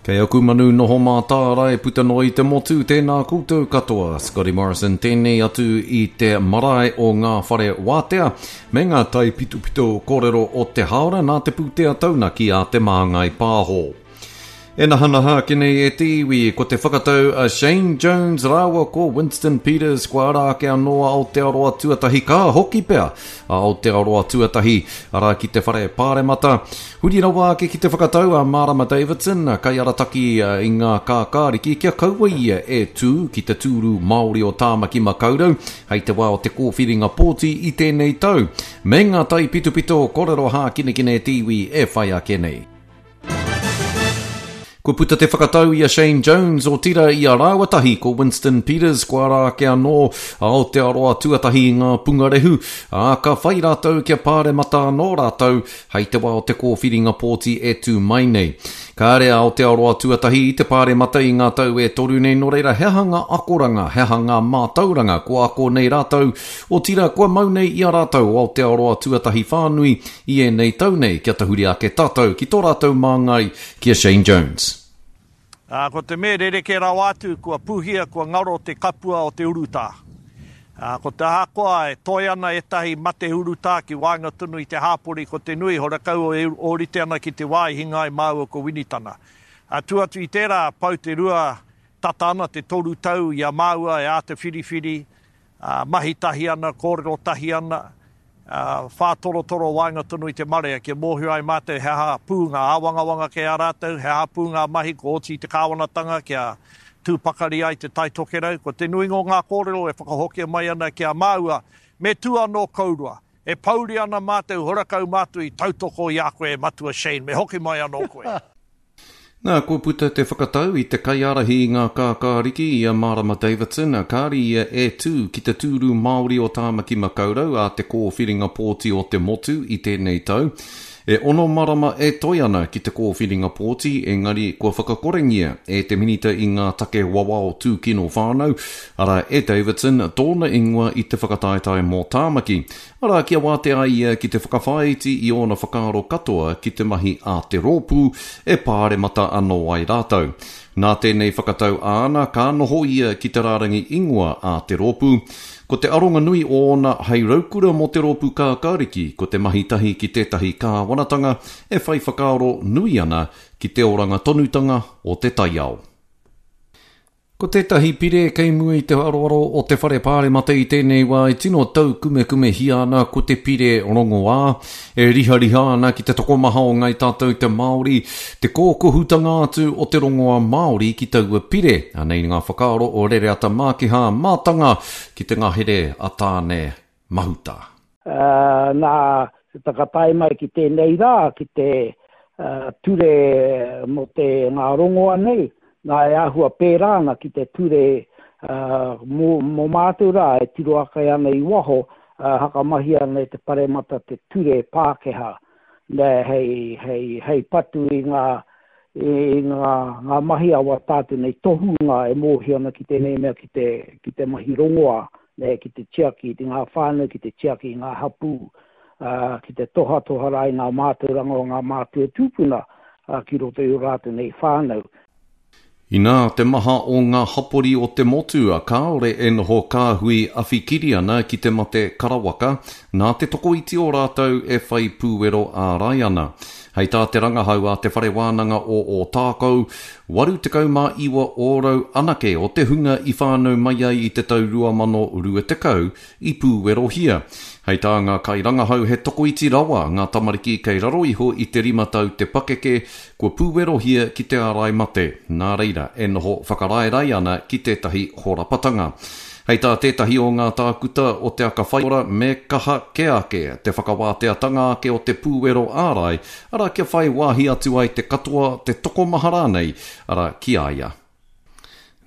Kei aku manu noho mātārae puta noa i te motu, tēnā koutou katoa. Scotty Morrison tēnei atu i te marae o ngā whare wātea me ngā taipitopito kōrero o te hāora nā te pūtea taunaki a Te Māngai Pāho. E nahanaha ake nei e te iwi, ko te whakatau a Shane Jones rāua ko Winston Peters kua ara ake anō a Aotearoa Tuatahi ka hoki pea a Aotearoa Tuatahi arā ki te whare pāremata. Huri rawa ake ki te whakatau a Marama Davidson, kaiarataki i ngā kākāriki kia kaua ia e tū ki te tūru Māori o Tāmaki Makaurau hei te wā o te kōwhiringa pōti i tēnei tau. Me ngā taipitopito kōrero hākinakina e te iwi e whai ake nei. Kua puta te whakatau i a Shane Jones, otirā i a rāua tahi ko Winston Peters, kua ara ake anō a Aotearoa tuatahi i ngā pungarehu, ā, ka whai rātou kia pāremata anō rātou hei te wā o te kōwhiringa pōti e tū mai nei. Kāre a Aotearoa tuatahi i te pāremata i ngā tau e toru nei, nō reira he aha ngā akoranga, he aha ngā mātauranga kua ako nei rātou, otirā kua mau nei i a rātou o Aotearoa tuatahi whānui i ēnei tau nei kia tahuri ake tātou ki tō rātou māngai ki a Shane Jones. Ā, ko te me rerekē rawa atu, kua pūhia, kua ngaro te kapua o te urutā. Ā, ko te ahakoa e toe ana ētahi mate urutā ki waenga tonu i te hāpori, ko te nui horakau e ōrite ana ki te wā i hinga ai māua ko Winitana. Ā, tū atu i tērā, pau te rua, tata ana te toru tau i a māua e āta whiriwhiri, ā, mahi tahi ana, kōrero tahi ana, ā, whātorotoro waenga tonu i te marea kia mōhio ai mātou he aha pū ngā āwangawanga kei a rātou, he aha pū ngā mahi kua oti i te kāwanatanga kia tū pakari ai Te Tai Tokerau. Ko te nuinga o ngā kōrero e whakahokia mai ana ki a māua, me tū anō kourua. E pouri ana mātou, horakau mātou i tautoko i a koe e Matua Shane, me hoki mai anō koe. Nā, kua puta te whakatau i te kaiārahi i ngā kākāriki, i a Marama Davidson, kāre ia e tū ki te tūru Māori o Tāmaki Makaurau ā te kōwhiringa pōti o te motu i tēnei tau. E ono marama e toe ana ki te kōwhiringa pōti, engari kua whakakorengia e te Minita i ngā take wawao tūkino whānau, arā, e Davidson, tōna ingoa i te whakataetae mō Tāmaki. Arā, kia wātea ai ia ki te whakawhāiti i ōna whakaaro katoa ki te mahi a te rōpū e pāremata anō ai rātou. Nā tēnei whakatau āna, ka noho ia ki te rārangi ingoa a te rōpū. Ko te aronga nui ōna hei raukura mō te rōpū kākāriki ko te mahi tahi ki tētahi kāwanatanga e whai whakaaro nui ana ki te oranga tonutanga o te taiao. Ko tētahi pire kei mua i te aroaro o te Whare Pāremata i tēnei wā e tino taukumekumehia ana ko te pire rongoā, e rihariha ana ki te tokomaha o Ngāi Tātou te Māori, te kōkohutanga atu o te rongoā Māori ki taua pire. Anei ngā whakaaro o Rereata Mākiha, mātanga ki te ngahere a Tāne Mahuta. Nā, whakatae mai ki tēnei rā, ki te ture mō te ngā rongoa nei, nā e āhua pērā ana ki te ture mō, mō mātou rā e tiro ake ana i waho, hakamahia ana e te paremata te ture Pākehā, nē, hei, hei, hei patu i ngā, i ngā, ngā mahi a wā tātou nei tohunga e mōhio ana ki tēnei mea ki te, ki te mahi rongoā, nē, ki te tiaki i ngā whānau, ki te tiaki i ngā hapū, ā, ki te tohatoha rā i ngā mātauranga o ngā mātua tūpuna, ā, ki roto i ō rātou nei whānau. Inā te maha o ngā hapori o te motu kāore e noho kāhui awhikiri ana ki te mate karawaka, nā te tokoiti o rātou e whai pūwero ārai ana. Hei tā te rangahau a Te Whare Wānanga o Ōtākou, 89 ōrau anake o te hunga i whānau mai ai i te tau 2020 i pūwerohia. Hei tā ngā kairangahau he tokoiti rawa ngā tamariki kei raro iho i te rima tau te pakeke kua pūwerohia ki te ārai mate, nā reira e noho whakaraerae ana ki tētahi horapatanga. Hei tā tētahi o ngā tākuta o Te Aka Whaiora me kaha kē ake te whakawāteatanga ake o te pūwero ārai, arā kia whai wāhi atu ai te katoa, te tokomaha rānei, arā ki a ia.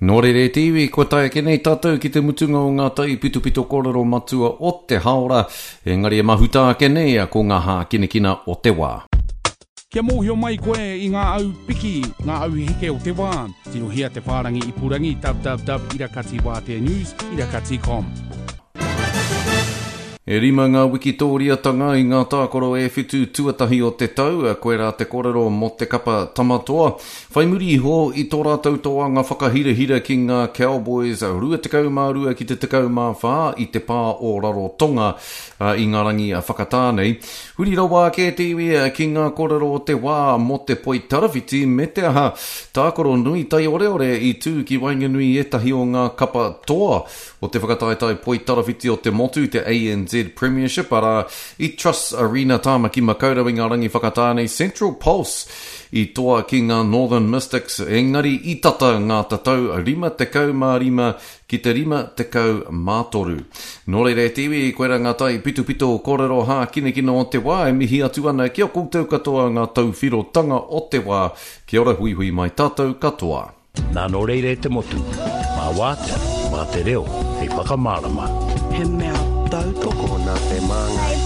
Nō reira e te iwi, kua tae ake nei tātou ki te mutunga o ngā taipitopito kōrero matua o te hāora, engari e mahuta ake nei ko ngā hākinakina o te wā. Kia mōhio mai koe i ngā au piki, ngā au heke o te wā, tirohia te whārangi ipurangi www irakatiwāteanews irakati com. E rima ngā wikitōriatanga i ngā tākaro e whitu tuatahi o te tau, koirā te kōrero mō te kapa Tamatoa. Whai muri iho i tō rātou toanga whakahirahira ki ngā Cowboys 22 ki te 14 i te pā o Rarotonga i ngā rangi whakatā nei. Huri rawa ake te iwi ki ngā kōrero o te wā mō te poitarawhiti me te aha, tākaro nui taioreore i tū ki waenganui i ētahi o ngā kapa toa o te whakataetae poitarawhiti o te motu, te ANZ Premiership, arā, i Trusts Arena Tāmaki Makaurau i ngā rangi whakatā nei, Central Pulse i toa ki ngā Northern Mystics, engari i tata ngā tatau 55 ki te 53. Nō reira e te iwi, koirā ngā tai pitopito kōrero hākinakina o te wā e mihi atu ana ki a koutou katoa ngā tauwhirotanga o te wā. Kia ora huihui mai tātou katoa. Nā nō reira e te motu, mā Wātea, mā te reo hei whakamārama. He mea tautoko. Tokona te māngai.